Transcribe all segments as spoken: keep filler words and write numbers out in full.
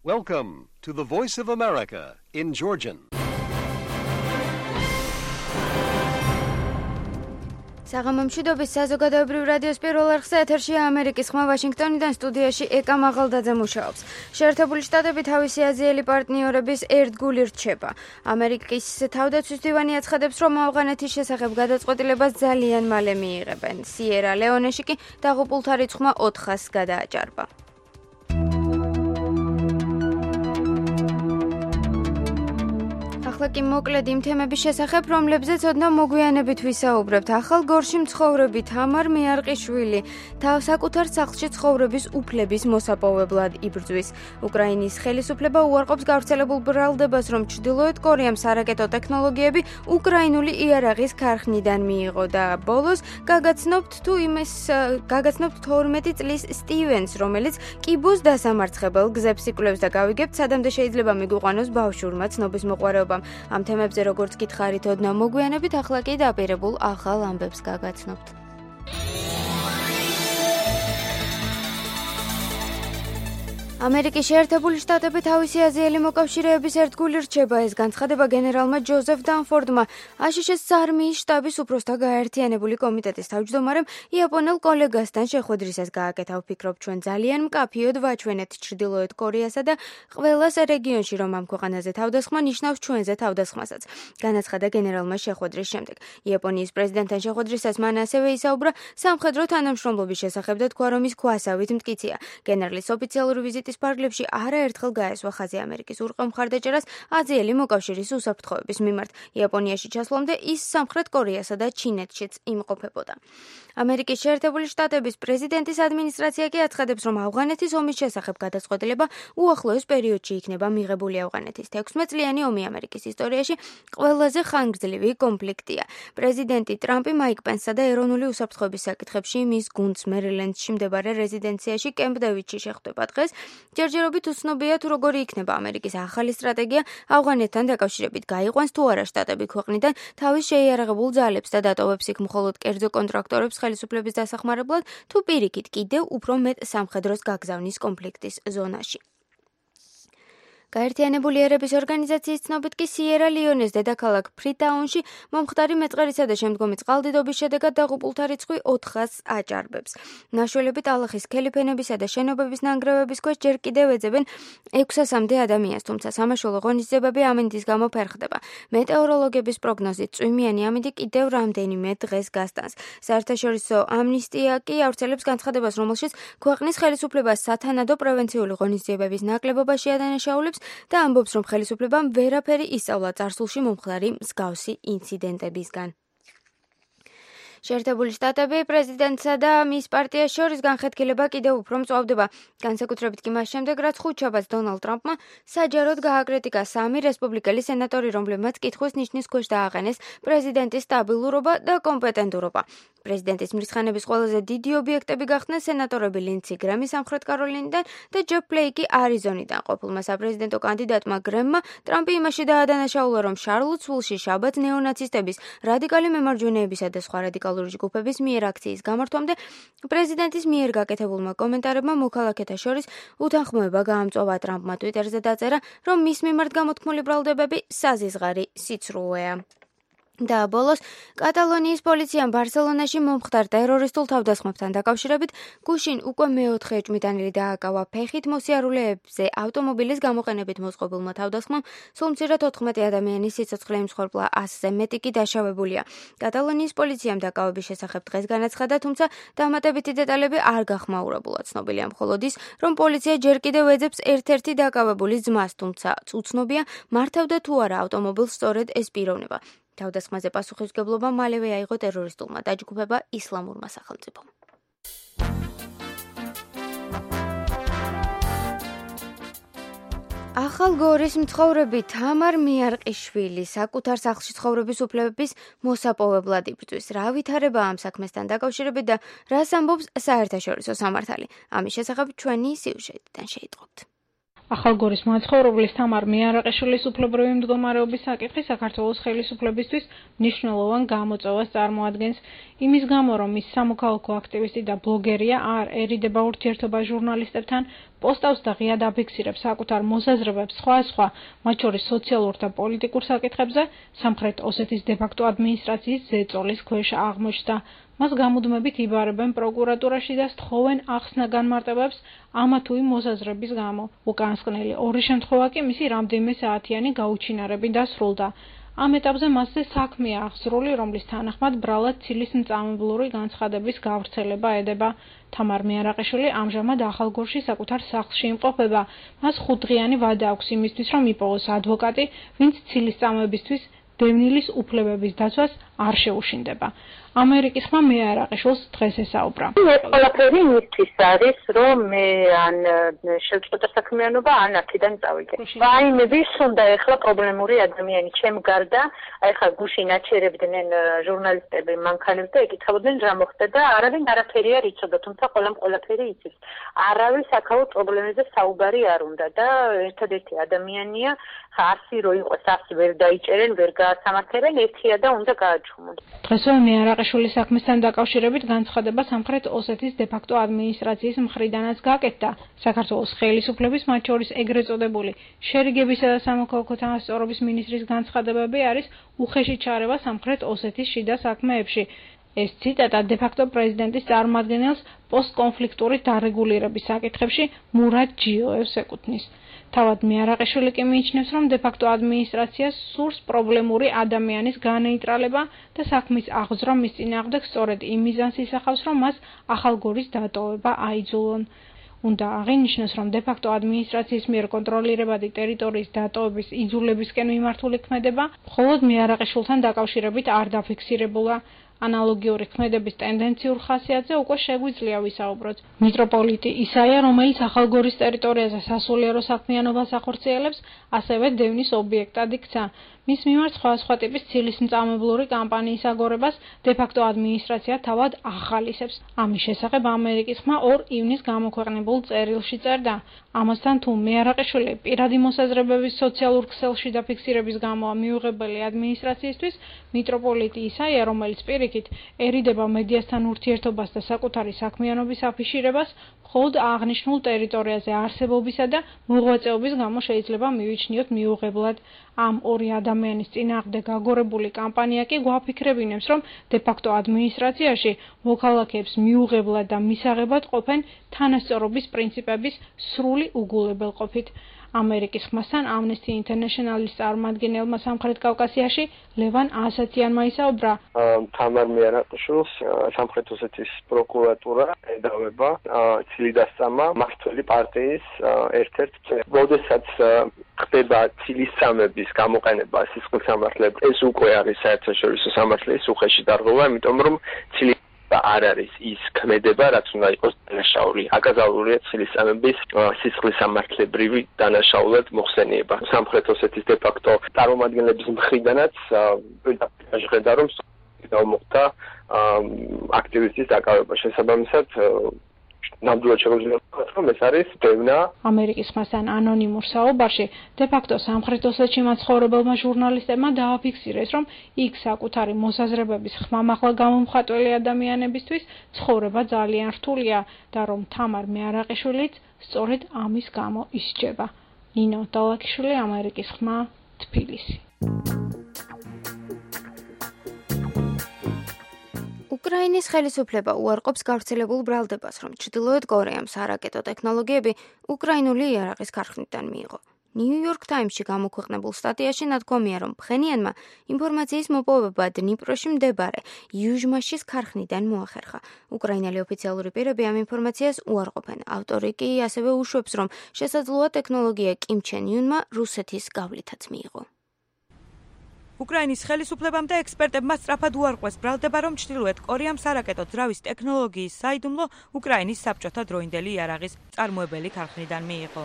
Welcome to the Voice of America in Georgian. საღამომშვიდობის საზოგადოებრივ რადიოს პირველ არხზე ეთერშია ამერიკის ხმა ვაშინგტონიდან სტუდიაში ეკა მაღალდაძე მუშაობს. შეერთებული შტატები თავისი აზიელი პარტნიორების ერთგული რჩება. ამერიკის თავდაცვის დივანი აცხადებს, რომ ავღანეთის შესახებ გადაწყვეტილებას ძალიან მალე მიიღებენ. სიერა ლეონეში კი დაღუპულთა რიცხვმა ოთხას გადააჭარბა. ახლა კი მოკლედ იმ თემების შესახებ, რომლებზეც ოდნავ მოგვიანებით ვისაუბრებთ. ახალ გორში მცხოვრები თამარ მიარყიშვილი თავ საკუთარ სახლში ცხოვრების უფლების მოსაპოვებლად იბრძვის. უკრაინის ხელისუფლება უარყოფს გავრცელებულ ბრალდებას, რომ ჩრდილოეთ კორეამ სარაკეტო ტექნოლოგიები უკრაინული იარაღის ქარხნიდან მიიღო და ბოლოს გაგაცნობთ თუ იმის გაგაცნობთ თორმეტი წლის სტივენს, რომელიც კიბოს დასამარცხებელ გზებს იკვლევს და გავიგებთ, სადამდე შეიძლება მიგვიყვანოს ბავშვურმა ცნობის მოყვარეობამ. ამ თემებზე როგორც გითხარით ოდნავ მოგვიანებით, ახლა კი დაპირებულ ახალ ამბებს გაგაცნობთ. ამერიკის შეერთებული შტატები თავისი აზიელი მოკავშირეების ერთგული რჩება. ეს განცხადება გენერალმა ჯოზეფ დანფორდმა აშშ-ის არმიის შტაბის უფროსთა გაერთიანებული კომიტეტის თავმჯდომარემ იაპონელ კოლეგასთან შეხვედრისას გააკეთა. ვფიქრობ, ჩვენ ძალიან მკაფიოდ ვაჩვენეთ ჩრდილოეთ კორეასა და ყველას რეგიონში, რომ ამ ქვეყანაზე თავდასხმა ნიშნავს ჩვენზე თავდასხმასაც, განაცხადა გენერალმა შეხვედრის შემდეგ. იაპონიის პრეზიდენტთან შეხვედრისას მან ასევე ისაუბრა სამხედრო თანამშრომლობის შესახებ და თქვა, რომ ის ქვასავით მტკიცეა. გენერლის ოფიციალური ვიზიტი ფარგლებში არაერთხელ გაესვა ხაზი ამერიკის ურყევ მხარდაჭერას აზიელი მოკავშირის უსაფრთხოების მიმართ. იაპონიაში ჩასვლამდე ის სამხრეთ კორეასა და ჩინეთშიც იმყოფებოდა. ამერიკის შეერთებული შტატების პრეზიდენტის ადმინისტრაცია კი აცხადებს, რომ ავღანეთის ომის შესახებ გადაწყვეტილება უახლოეს პერიოდში იქნება მიღებული. ავღანეთის თექვსმეტ წლიანი ომი ამერიკის ისტორიაში ყველაზე ხანგრძლივი კონფლიქტია. პრეზიდენტი ტრამპი მაიკ პენსსა და ეროვნული უსაფრთხოების საკითხებში მის გუნდს მერილენდში მდებარე რეზიდენციაში კემპ დევიდში შეხვდება დღეს. ჯერჯერობით უცნობია თუ როგორი იქნება ამერიკის ახალი სტრატეგია ავღანეთთან დაკავშირებით. გაიყვანს თუ არა შტატები ქვეყნიდან თავის შეიარაღებულ ძალებს და დატოვებს იქ მხოლოდ კერძო კონტრაქტორებს ხელისუფლების დასახმარებლად, თუ პირიქით კიდევ უფრო მეტ სამხედროს გაგზავნის კონფლიქტის ზონაში. გაერთიანებული ერების ორგანიზაციის ცნობით კი სიერა ლეონეს დედაქალაქ ფრიტაუნში მომხდარი მეწყერისა და შემდგომი წყალდიდობის შედეგად დაღუპულთა რიცხვი ოთხას აჭარბებს. ნაშველები ტალახის ქელიფენებისა და შენობების ნანგრევების ქვეშ ჯერ კიდევ ეძებენ ექვსასამდე ადამიანს, თუმცა სამაშველო ღონისძიებები ამინდის გამო ფერხდება. მეტეოროლოგების პროგნოზით წვიმიანი ამინდი კიდევ რამდენიმე დღეს გასტანს. საერთაშორისო ამნისტია კი ავრცელებს განცხადებას, რომელშიც ქვეყნის ხელისუფლებას სათანადო პრევენციული ღონისძიებების ნაკლებობა შეადანაშაულებს და ამბობს, რომ ხელისუფლებამ ვერაფერი ისწავლა წარსულში მომხდარი მსგავსი ინციდენტებისგან. შეერთებული შტატები პრეზიდენტსა და მის პარტიას შორის განხეთქილება კიდევ უფრო მწვავდება. განსაკუთრებით კი მას შემდეგ, რაც ხუთშაბათს დონალდ ტრამპმა საჯაროდ გააკრიტიკა სამი რესპუბლიკელი სენატორი, რომლებმაც კითხვის ნიშნის ქვეშ დააყენეს პრეზიდენტის სტაბილურობა და კომპეტენტურობა. პრეზიდენტის მრისხანების ყველაზე დიდი ობიექტები გახდნენ სენატორები ლინდსი გრემი სამხრეთ კაროლინიდან და ჯეფ ფლეიკი არიზონიდან. ყოფილმა საპრეზიდენტო კანდიდატმა გრემმა ტრამპი იმაში დაადანაშაულა, რომ შარლოტსვილში შაბათს ნეონაცისტების, რადიკალი მემარჯვენეებისა და სხვა რადიკალური ჯგუფების მიერ აქციის გამართვამდე პრეზიდენტის მიერ გაკეთებულმა კომენტარებმა მოქალაქეთა შორის უთანხმოება გაამწვავა. ტრამპმა ტვიტერზე დაწერა, რომ მის მიმართ გამოთქმული ბრალდებები საზიზღარი სიცრუეა. და ბოლოს კატალონიის პოლიციამ ბარსელონაში მომხდარ ტერორისტულ თავდასხმებთან დაკავშირებით გუშინ უკვე მეოთხე ეჭვმიტანილი დააკავა. ფეხით მოსიარულეებზე ავტომობილის გამოყენებით მოწყობილმა თავდასხმამ სულ მცირედ ოთხმეტი ადამიანის სიცოცხლე იმსხვერპლა, ასზე მეტი კი დაშავებულია. კატალონიის პოლიციამ დაკავების შესახებ დღეს განაცხადა, თუმცა დამატებითი დეტალები არ გახმაურებულა. ცნობილია მხოლოდ ის, რომ პოლიცია ჯერ კიდევ ეძებს ერთ-ერთი დაკავებულის ძმას, თუმცა უცნობია მართავდა თუ არა ავტომობილს სწორედ ეს პიროვნება. თავდასხმაზე პასუხისმგებლობა მალევე აიღო ტერორისტულმა დაჯგუფება ისლამურმა სახელმწიფომ. ახალ გორის მცხოვრები თამარ მიარყიშვილი საკუთარ სახლში ცხოვრების უფლების მოსაპოვებლად იბრძვის. რა ვითარება ამ საქმესთან დაკავშირებით და რას ამბობს საერთაშორისო სამართალი? ამის შესახებ ჩვენი სიუჟეტიდან შეიტყობთ. ახალგორის მაცხოვრებლის თამარ მიარაყიშვილის უფლებრივი მდგომარეობის საკითხი საქართველოს ხელისუფლებისთვის მნიშვნელოვან გამოწვევას წარმოადგენს. იმის გამო, რომ ის სამოქალაქო აქტივისტი და ბლოგერია, არ ერიდება ურთიერთობა ჟურნალისტებთან, პოსტავს და ღიად აფიქსირებს საკუთარ მოსაზრებებს სხვა-სხვა, მათ შორის სოციალურ და პოლიტიკურ საკითხებზე, სამხრეთ ოსეთის დე-ფაქტო ადმინისტრაციის ზეწოლის ქვეშ აღმოჩნდა. მას გამუდმებით იბარებენ პროკურატურაში და სთხოვენ ახსნა განმარტებებს ამა თუ იმ მოსაზრების გამო. უკანასკნელი ორი შემთხვევა კი მისი რამდენიმე საათიანი გაუჩინარებით დასრულდა. ამ ეტაპზე მასზე საქმეა აღსრული, რომლის თანახმად ბრალად ცილის მწამებლური განცხადების გავრცელება ედება. თამარ მიარაყიშვილი ამჟამად ახალგორში საკუთარ სახლში იმყოფება. მას ხუთდღიანი ვადა აქვს იმისთვის, რომ იპოვოს ადვოკატი, ვინც ცილის წამებისთვის დევნილის უფლებების დაცვას არ შეუშინდება. ამერიკის ხმა მიარაყიშვილს დღეს ესაუბრა. ყველაფერი მისთვის არის, რომ მე ან შევწყვეტა საქმიანობა, ან აქედან წავიდე. ვაიმების უნდა ეხლა პრობლემური ადამიანი ჩემ გარდა, აი ხა გუშინ აჩერებდნენ ჟურნალისტები მანქანებს და ეკითხებოდნენ რა მოხდა და არავინ არაფერი არ იცოდა, თუმცა ყველამ ყველაფერი იცის. არავის აქაურ პრობლემებზე საუბარი არ უნდა და ერთადერთი ადამიანია, ასი რო იყოს, ასი ვერ დაიჭერენ, ვერ გაასამართლებენ, ერთია და უნდა გააჩუმონ. დღესვე მიარაყიშვილის საქმესთან დაკავშირებით განცხადება სამხრეთ ოსეთის დე-ფაქტო ადმინისტრაციის მხრიდანაც გაკეთდა. საქართველოს ხელისუფლების, მათ შორის ეგრეთ წოდებული შერიგებისა და სამოქალაქო თანასწორობის მინისტრის განცხადებები არის უხეში ჩარევა სამხრეთ ოსეთის შიდა საქმეებში. ეს ციტატა დე-ფაქტო პრეზიდენტის წარმომადგენელს პოსტკონფლიქტური დარეგულირების საკითხებში მურად ჯიოევს ეკუთვნის. თავად მიარაყიშვილი კი მიიჩნევს, რომ დე-ფაქტო ადმინისტრაციას სურს პრობლემური ადამიანის განეიტრალება და საქმის აღძვრა მის წინააღმდეგ სწორედ იმ მიზანს ისახავს, რომ მას ახალგორის დატოვება აიძულონ. უნდა აღინიშნოს, რომ დე-ფაქტო ადმინისტრაციის მიერ კონტროლირებადი ტერიტორიის დატოვების იძულებისკენ მიმართული ქმედება მხოლოდ მიარაყიშვილთან დაკავშირებით არ დაფიქსირებულა. ანალოგიური ქმედების ტენდენციურ ხასიათზე უკვე შეგვიძლია ვისაუბროთ. მიტროპოლიტი ისაია, რომელიც ახალგორის ტერიტორიაზე სასულიერო საქმიანობას ახორციელებს, ასევე დევნის ობიექტად იქცა. მის მიმართ სხვადასხვა ტიპის ცილის მწამებლური კამპანიის აგორებას დე-ფაქტო ადმინისტრაცია თავად ახალისებს. ამის შესახებ ამერიკის ხმა ორ ივნის გამოქვეყნებულ წერილში წერდა. ამასთან თუ მიარაყიშვილი პირადი მოსაზრებების სოციალურ ქსელში დაფიქსირების გამოა მიუღებელი ადმინისტრაციისთვის, მიტროპოლიტი ისაია, რომელიც პირიქით ერიდება მედიასთან ურთიერთობას და საკუთარი საქმიანობის აფიშირებას, მხოლოდ აღნიშნულ ტერიტორიაზე არსებობისა და მოღვაწეობის გამო შეიძლება მივიჩნიოთ მიუღებლად. ამ ორი ადამიანის წინააღმდეგ აგორებული კამპანია კი გვაფიქრებინებს, რომ დე-ფაქტო ადმინისტრაციაში მოქალაქეებს მიუღებლად და მისაღებად ყოფენ თანასწორობის პრინციპების სრული უგულებელყოფით. ამერიკის ხმასთან ამნესტი ინტერნეშნალის წარმომადგენელმა სამხრეთ კავკასიაში ლევან ასათიანმა ისაუბრა. თამარ მიარაყიშვილს სამხრეთ ოსეთის პროკურატურა ედავება ცილი დასწამა მმართველი პარტიის ერთ-ერთ წევრს. როდესაც ხდება ცილის წამების გამოყენება სისხლის სამართლებლად, ეს უკვე არის საერთაშორისო სამართლის უხეში დარღვევა, იმიტომ რომ ცილი არ არის ის ქმედება, რაც უნდა იყოს დანაშაული. აკაზალურია ცილის წამების სისხლის სამართლებრივი დანაშაულად მოხსენიება. სამხრეთ ოსეთის დე-ფაქტო წარმომადგენლების მხრიდანაც პირდაპირ ჟღერდა, რომ მოხდა აქტივისტის დაკავება. შესაბამისად ნამდვილად შეგვიძლია ვთქვათ, რომ ეს არის დევნა. ამერიკის ხმასთან ანონიმურ საუბარში დე-ფაქტო სამხრეთ ოსეთში მაცხოვრებელმა ჟურნალისტებმა დააფიქსირეს, რომ იქ საკუთარი მოსაზრებების ხმამაღლა გამომხატველი ადამიანებისთვის ცხოვრება ძალიან რთულია და რომ თამარ მიარაყიშვილიც სწორედ ამის გამო ისჯება. ნინო დალაქიშვილი, ამერიკის ხმა, თბილისი. უკრაინის ხელისუფლება უარყოფს გავრცელებულ ბრალდებას, რომ ჩრდილოეთ კორეამ სარაკეტო ტექნოლოგიები უკრაინული იარაღის ქარხნიდან მიიღო. ნიუ-იორკ ტაიმსში გამოქვეყნებულ სტატიაში ნათქვამია, რომ ფხენიანმა ინფორმაციის მოპოვება დნიპროში მდებარე იუჟმაშის ქარხნიდან მოახერხა. უკრაინელი ოფიციალური პირები ამ ინფორმაციას უარყოფენ. ავტორი კი ასევე უშვებს, რომ შესაძლოა ტექნოლოგია კიმ ჩენ იუნმა რუსეთის გავლითაც მიიღო. უკრაინის ხელისუფლებამ და ექსპერტებმა სწრაფად უარყვეს ბრალდება, რომ ჩრდილოეთ კორეამ სარაკეტო ძრავის ტექნოლოგიის საიდუმლო უკრაინის საბჭოთა დროინდელი იარაღის წარმოებელი ქარხნიდან მიიღო.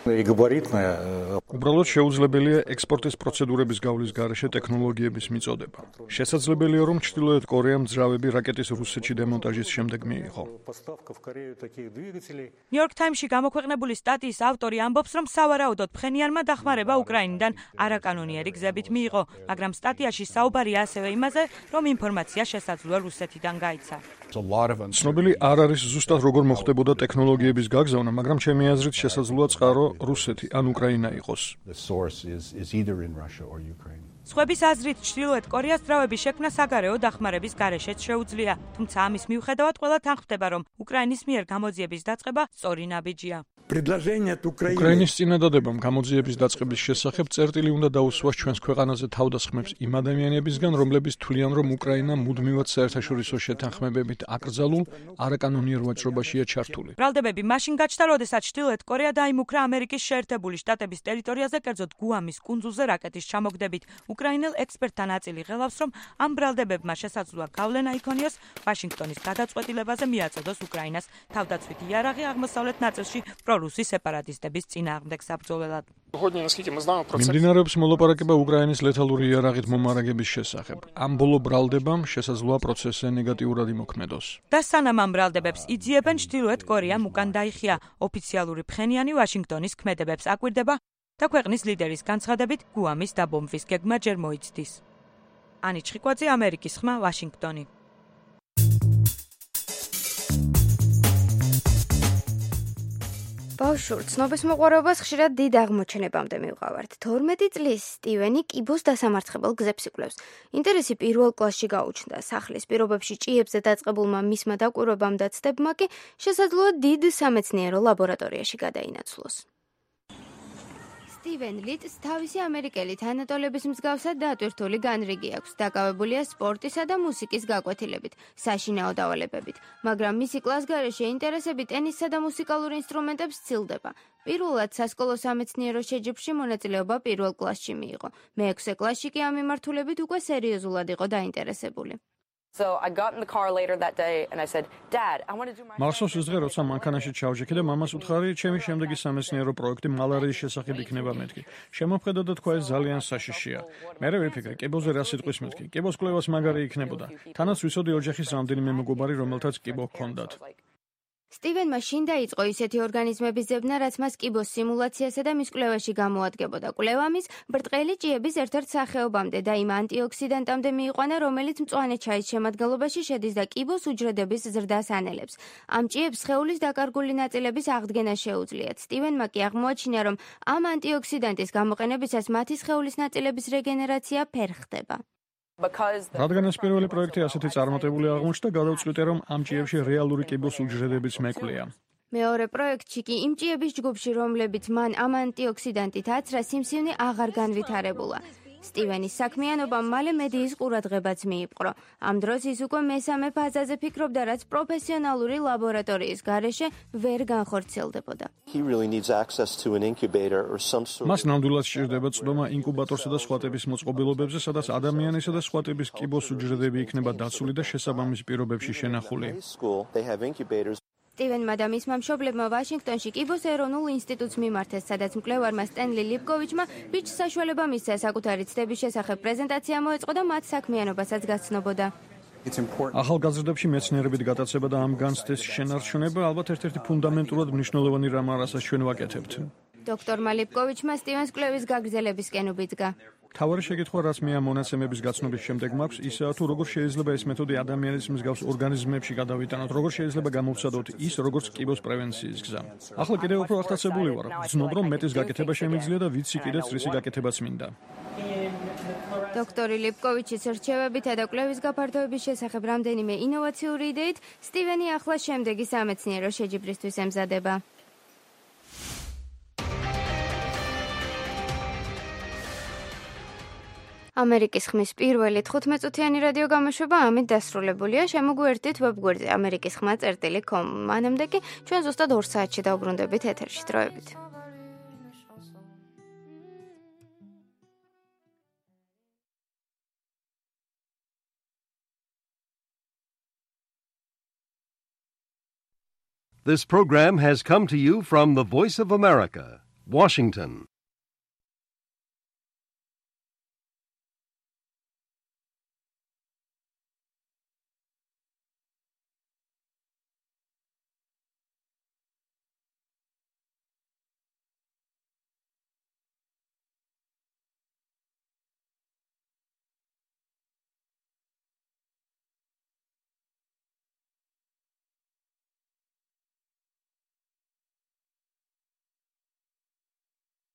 უბრალოდ შეუძლებელია ექსპორტის პროცედურების გავლის გარეშე ტექნოლოგიების მიწოდება. შესაძლებელია, რომ ჩრდილოეთ კორეამ ძრავები რაკეტის რუსეთში დემონტაჟის შემდეგ მიიღო. ნიუ-იორკ ტაიმსში გამოქვეყნებული სტატიის ავტორი ამბობს, რომ სავარაუდოდ ფხენიანმა დახმარება უკრაინიდან არაკანონიერი გზებით მიიღო, მაგრამ სტატიაში საუბარი ასევე იმაზე, რომ ინფორმაცია შესაძლოა რუსეთიდან გაიცა. ცნობილი არ არის ზუსტად როგორ მოხდებოდა ტექნოლოგიების გაგზავნა, მაგრამ ჩემი აზრით შესაძლოა წყარო რუსეთი ან უკრაინა იყოს. სხვების აზრით, ჩრდილოეთ კორეას ძრავების შექმნა საგარეო დახმარების გარეშეც შეუძლია, თუმცა ამის მიუხედავად ყველა თანხმდება, რომ უკრაინის მიერ გამოძიების დაწყება სწორი ნაბიჯია. უკრაინის წინადადებამ გამოძიების დაწყების შესახებ წერტილი უნდა დაუსვას ჩვენს ქვეყანაზე თავდასხმებს იმ ადამიანებისგან, რომლებიც თვლიან, რომ უკრაინა მუდმივად საერთაშორისო შეთანხმებებით აკრძალულ არაკანონიერ ვაჭრობაშია ჩართული. ბრალდებები მაშინ გაჩნდა, როდესაც ჩრდილოეთ კორეა დაიმუქრა ამერიკის შეერთებული შტატების ტერიტორიაზე, კერძოდ გუამის კუნძულზე რაკეტის ჩამოგდებით. უკრაინელ ექსპერტთა ნაწილი ღელავს, რომ ამ ბრალდებებმა შესაძლოა გავლენა იქონიოს ვაშინგტონის გადაწყვეტილებაზე მიაწოდოს უკრაინას თავდაცვითი იარაღი აღმოსავლეთ ნაწილში პრორუსი სეპარატისტების წინააღმდეგ საბრძოლველად. მიმდინარეობს მოლაპარაკება უკრაინის ლეთალური იარაღით მომარაგების შესახებ. ამ ბოლო ბრალდებამ შესაძლოა პროცესზე ნეგატიურად იმოქმედოს. და სანამ ამ ბრალდებებს იძიებენ, ჩრდილოეთ კორეამ უკან დაიხია. ოფიციალური ფხენიანი ვაშინგტონის ქმედებებს აკვირდება და ქვეყნის ლიდერის განცხადებით გუამის დაბომბვის გეგმა ჯერ მოიცდის. ანი ჩხიკვაძე, ამერიკის ხმა, ვაშინგტონი. ბავშვურ ცნობის მოყვარეობას ხშირად დიდ აღმოჩენებამდე მივყავართ. თორმეტი წლის სტივენი კიბოს დასამარცხებელ გზებს იკვლევს. ინტერესი პირველ კლასში გაუჩნდა. სახლის პირობებში ჭიებზე დაწყებულმა მისმა დაკვირვებამ და ცდებმა კი შესაძლოა დიდ სამეცნიერო ლაბორატორიაში გადაინაცვლოს. სტივენ ლიტს თავისი ამერიკელი თანატოლების მსგავსად დატვირთული განრიგი აქვს, დაკავებულია სპორტისა და მუსიკის გაკვეთილებით, საშინაო დავალებებით, მაგრამ მისი კლასგარეშე ინტერესები ტენისსა და მუსიკალურ ინსტრუმენტებს სცილდება. პირველად სასკოლო სამეცნიერო შეჯიბრში მონაწილეობა პირველ კლასში მიიღო. მეექვსე კლასში კი ამ მიმართულებით უკვე სერიოზულად იყო დაინტერესებული. So I got in the car later that day and I said, "Dad, I want to do my." მარსოს ზღე როცა მანქანაში ჩავჯექი და მამას უთხარი, ჩემი შემდეგი სამეცნიერო პროექტი მალარიის შესახებ იქნება მეთქი. შემოვხედა და თქვა ეს ძალიან საშიშია. მერე ვიფიქრე, კიბოზე რა სიტყვის მეთქი. კიბოს კვლევას მაგარი იქნებოდა. თანაც ვიცოდი ოჯახის რამდენიმე მეგობარი, რომელთაც კიბო ჰქონდათ. სტივენმა შინ დაიწყო ისეთი ორგანიზმების ძებნა, რაც მას კიბოს სიმულაციასა და მის კვლევაში გამოადგებოდა. კვლევა მის ბრტყელი ჭიების ერთ-ერთ სახეობამდე და იმ ანტიოქსიდანტამდე მიიყვანა, რომელიც მწვანე ჩაის შემადგენლობაში შედის და კიბოს უჯრედების ზრდას ანელებს. ამ ჭიებს სხეულის დაკარგული ნაწილების აღდგენა შეუძლიათ. სტივენმა კი აღმოაჩინა, რომ ამ ანტიოქსიდანტის გამოყენებისას მათი სხეულის ნაწილების რეგენერაცია ფერ ხდება. რადგან ეს პირველი პროექტი ასეთი წარმატებული აღმოჩნდა, გადავწყვიტე, რომ ამ ჭიებში რეალური კიბოს უჯრედებიც მეკვლია. მეორე პროექტში კი იმ ჭიების ჯგუფში, რომლებიც მან ამ ანტიოქსიდანტით აცრა, სიმსივნე აღარ განვითარებულა. სტივენის საქმიანობამ მალე მედიის ყურადღებაც მიიპყრო. ამ დროს ის უკვე მესამე ფაზაზე ფიქრობდა, რაც პროფესიონალური ლაბორატორიის გარეშე ვერ განხორციელდებოდა. მას ნამდვილად სჭირდება წვდომა ინკუბატორსა და სხვა ტიპის მოწყობილობებზე, სადაც ადამიანისა და სხვა ტიპის კიბოს უჯრედები იქნება დაცული და შესაბამის პირობებში შენახული. სტივენმა და მისმა მშობლებმა ვაშინგტონში კიბოს ეროვნულ ინსტიტუტს მიმართეს, სადაც მკვლევარმა სტენლი ლიპკოვიჩმა ბიჭს საშუალება მისცა საკუთარი ცდების შესახებ პრეზენტაცია მოეწყო და მათ საქმიანობასაც გაცნობოდა. ახალგაზრდებში მეცნიერებით გატაცება და ამ განცდის შენარჩუნება ალბათ ერთ-ერთი ფუნდამენტურად მნიშვნელოვანი რამ არასაც ჩვენ ვაკეთებთ. დოქტორმა ლიპკოვიჩმა სტივენს კვლევის გაგრძელებისკენ უბიძგა. თავარი შეკითხვა, რაც მე ამ მონაცემების გაცნობის შემდეგ მაქვს, ისაა თუ როგორ შეიძლება ეს მეთოდი ადამიანის მსგავს ორგანიზმებში გადავიტანოთ, როგორ შეიძლება გამოვცადოთ ის, როგორც კიბოს პრევენციის გზა. ახლა კიდევ უფრო აღტაცებული ვარ. ვძნობ, რომ მეტის გაკეთება შემიძლია და ვიცი კიდეც რისი გაკეთებაც მინდა. დოქტორი ლიპკოვიჩის რჩევებითა და კვლევის გაფართოების შესახებ რამდენიმე ინოვაციური იდეით, სტივენი ახლა შემდეგი სამეცნიერო შეჯიბრისთვის ემზადება. ამერიკის ხმის პირველი თხუთმეტწუთიანი რადიო გამოშვება ამით დასრულებულია. შემოგვიერთდით ვებგვერდზე ამერიკის ხმა წერტილი კომ. მანამდე კი ჩვენ ზუსტად ორ საათში დავბრუნდებით ეთერში. დროებით. This program has come to you from the Voice of America, Washington.